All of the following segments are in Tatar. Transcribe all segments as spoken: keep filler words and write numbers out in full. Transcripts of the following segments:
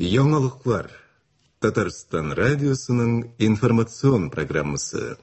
Яңалыклар. Татарстан радиосының информацион программасы.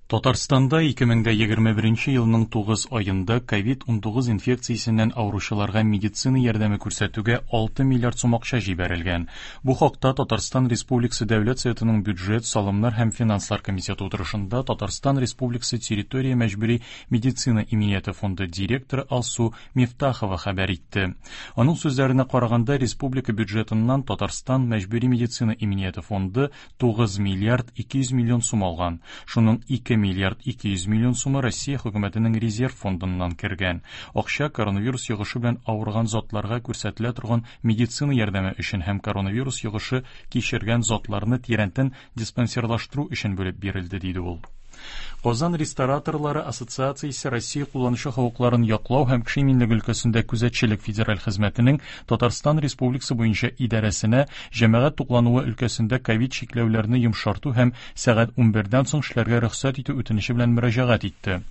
Татарстанда ике мең дә егерме беренче елның тугыз аенда ковид унтугыз инфекциясеннән авыручыларга медицина ярдәме күрсәтүгә алты миллиард сум акча җибәрелгән. Бу хакта Татарстан Республикасы Дәүләт Советының бюджет, салымнар һәм финанслар комитеты утырышында Татарстан Республикасы территория мәҗбүри медицина иминияте фонды директоры Алсу Мифтахова хәбәр итте. Аның сүзләренә караганда, республика бюджетыннан Татарстан мәҗбүри медицина иминияте фонды тугыз миллиард ике йөз миллион сум алган. Шуның ике миллиард ике йөз миллион сумы Россия хөкүмәтенең резерв фондыннан кергән. Акча коронавирус йогышы белән авырган затларга күрсәтелә торган медицина ярдәме өчен һәм коронавирус йогышы кичергән затларны тирәнтен диспансерлаштыру өчен бүлеп бирелде, диде ул. Казан рестораторлары ассоциациясе Россия кулланучы хокукларын яклау һәм кеше иминлеге өлкәсендә күзәтчелек федераль хезмәтенең Татарстан Республикасы буенча идарәсенә җәмәгать туклануы өлкәсендә ковид чикләүләрне йомшарту һәм сәгать унбердән соң эшләргә рөхсәт итү үтенече белән мөрәҗәгать итте.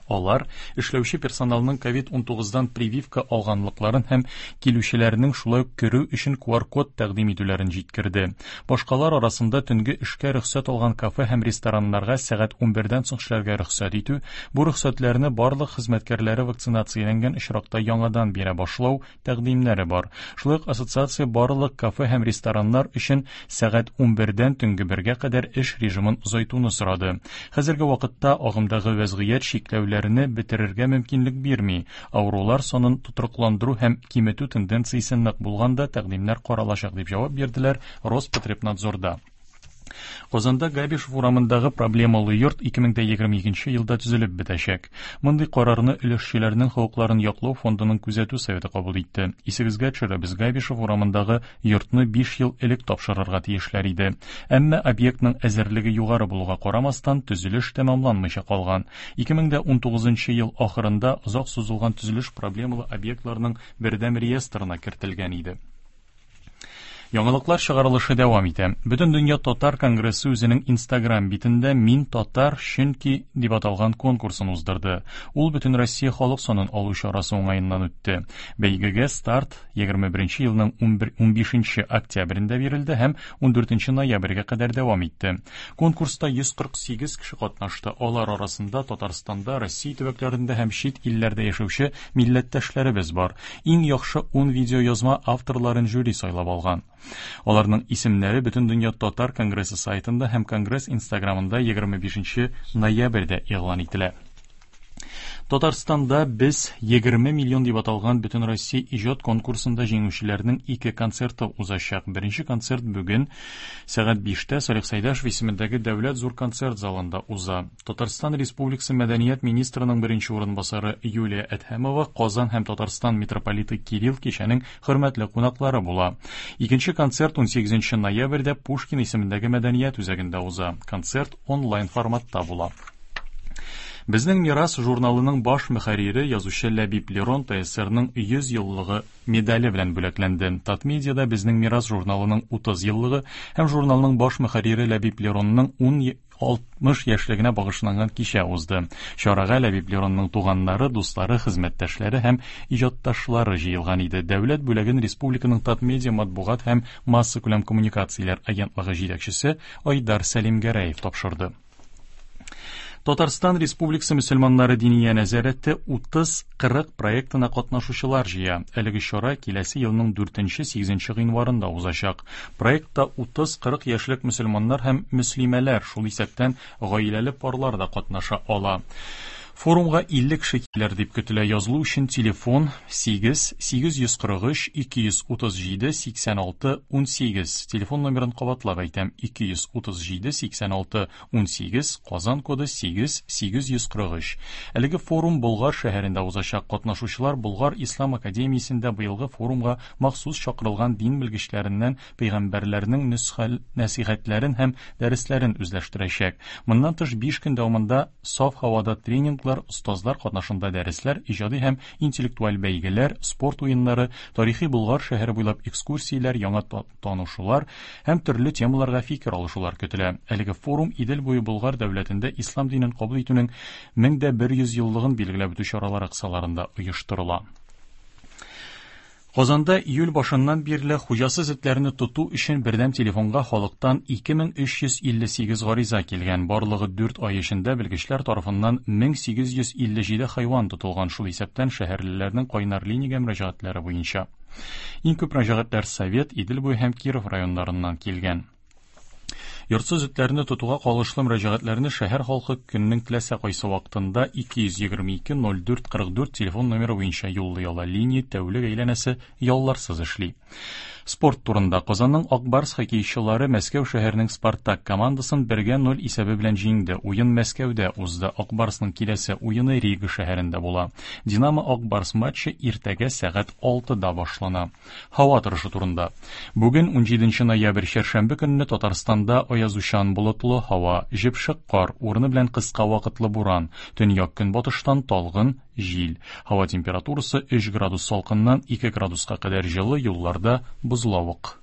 Алар эшләүче персоналның ковид унтугыздан прививка алганлыкларын һәм килүчеләрнең шулай ук керү өчен ку ар код тәкъдим итүләрен җиткерде. Башкалар арасында төнге эшкә рөхсәт алган кафе һәм рестораннарга сәгать унбердән соң эшләргә рөхсәт итү, бу рөхсәтләрне барлык хезмәткәрләре вакцинацияләнгән очракта яңадан бирә башлау тәкъдимнәре бар. Шулай ук ассоциация барлык кафе һәм рестораннар өчен сәгать унбердән төнге бергә кадәр эш режимын озайтуны сорады. Хәзерге вакытта агымдагы вәзгыять чикләүләрне бетерергә мөмкинлек бирми. Авырулар санын тотрыкландыру һәм киметү тенденциясе нык булганда тәкъдимнәр каралачак, дип җавап бирделәр Роспотребнадзорда. Казанда Габишев урамындагы проблемалы йорт ике мең дә егерме икенче елда төзелеп бетәчәк. Мондый карарны өлешчеләрнең хокукларын яклау фондының күзәтү советы кабул итте. Исегезгә төшерәбез, Габишев урамындагы йортны биш ел элек тапшырырга тиешләр иде. Әмма объектның әзерлеге югары булуга карамастан, төзелеш тәмамланмыйча калган. Ике мең дә унтугызынчы ел ахырында озак сузылган төзелеш проблемалы объектларның бердәм реестрына кертелгән иде. Яңалыклар чыгарылышы дәвам итә. Бөтен дөнья татар конгрессы үзенең Инстаграм битендә Мин татар чөнки дип аталган конкурсын уздырды. Ул бөтен Россия халык санын алу чарасы уңаеннан үтте. Бәйгегә старт егерме беренче елның унбишенче октябрендә бирелде һәм ундүртенче ноябрьгә кадәр дәвам итте. Конкурста йөз кырык сигез кеше катнашты. Алар арасында Татарстанда, Россия төбәкләрендә һәм чит илләрдә яшәүче милләттәшләребез бар. Иң яхшы ун видеоязма авторларын жюри сайлап алган. Аларның исемнәре Бөтен дөнья татар конгрессы сайтында һәм конгресс Инстаграмында егерме бишенче ноябрьдә игълан ителә. Татарстанда без егерме миллион дип аталган Бөтен Россия иҗат конкурсында җиңүчеләрнең ике концерты узачак. Беренче концерт бүген сәгать биштә Салих Сәйдәшев исемендәге Дәүләт зур концерт залында уза. Татарстан Республикасы Мәдәният министрының беренче урынбасары Юлия Әдһәмова, Казан һәм Татарстан митрополиты Кирилл кичәнең хөрмәтле кунаклары була. Икенче концерт унсигезенче ноябрьдә Пушкин исемендәге Мәдәният үзәгендә уза. Концерт онлайн форматта була. Безнең мирас журналының баш мөхәррире язучы Ләбиб Лерон Т С Р-ның йөз еллыгы медале белән бүләкләнде. Татмедиада Безнең мирас журналының утыз еллыгы һәм журналның баш мөхәррире Ләбиб Леронның ун алтмыш яшьлегенә багышланган кичә узды. Чарага Ләбиб Леронның туганнары, дуслары, хезмәттәшләре һәм иҗатташлары җыелган иде. Дәүләт бүләген республиканың Татмедиа матбугат һәм массакүләм коммуникацияләр агентлыгы җитәкчесе Айдар Сәлимгәрәев тапшырды. Татарстан Республикасы мөселманнары диния нәзарәте утыз кырык проектына катнашучылар җыя. Әлеге чара киләсе елның дүртенче сигезенче гыйнварында узачак. Проектта утыз кырык яшьлек мөселманнар һәм мөслимәләр, шул исәптән гаиләле парлар да катнаша ала. Форумга илле кеше килер дип көтелә. Язылу өчен телефон сигез сигез йөз кырык өч ике йөз утыз җиде сиксән алты ун сигез. Телефон номерын кабатлап әйтәм: ике йөз утыз җиде сиксән алты ун сигез, Казан коды сигез сигез йөз кырык өч. Әлеге форум Болгар шәһәрендә узачак. Катнашучылар Болгар Ислам академиясендә быелгы форумга махсус чакырылган дин белгечләреннән пәйгамбәрләрнең нөсхәл нәсихәтләрен һәм дәресләрен үзләштерәчәк. Моннан тыш биш көн дәвамында саф һавада тренинглар, остазлар катнашында дәресләр, иҗади һәм интеллектуаль бәйгеләр, спорт уеннары, тарихи Болгар шәһәре буйлап экскурсияләр, яңа та-, танышулар һәм төрле темаларга фикер алышулар көтелә. Әлеге форум Идел буе Болгар дәүләтендә ислам динен кабул итүнең мең дә бер йөз еллыгын билгеләп үтү чаралары кысаларында оештырыла. Казанда июль башыннан бирле хуҗасыз этләрне тоту өчен бердәм телефонга халыктан ике мең өч йөз илле сигез гариза килгән. Барлыгы дүрт ай эчендә белгечләр тарафыннан мең сигез йөз илле җиде хайван тотылган, шул исәптән шәһәрлеләрнең кайнар линиягә мөрәҗәгатьләре буенча. Иң күп мөрәҗәгатьләр Совет, Идел буе һәм Киров районнарыннан килгән. Йортсыз этләрне тотуга кагылышлы мөрәҗәгатьләрне шәһәр халкы көннең теләсә кайсы вакытында ике йөз егерме ике ноль дүрт кырык дүрт телефон номеры буенча юллый ала. Линия тәүлек әйләнәсе ялларсыз эшли. Спорт турында. Казанның Ак Барс хоккейчылары Мәскәү шәһәренең Спартак командасын бергә ноль исәбе белән җиңде. Уен Мәскәүдә узды. Ак Барсның киләсе уены Рига шәһәрендә була. Динамо Ак Барс матчы иртәгә сәгать алтыда башлана. Һава торышы турында. Бүген унҗиденче ноябрь чәршәмбе көнне Татарстанда аязучан болытлы һава, җепшек кар, урыны белән кыска вакытлы буран, төньяк көнбатыштан талгын җил. Һава температурасы өч градус салкыннан ике градуска кадәр җылы, юлларда бозлавык.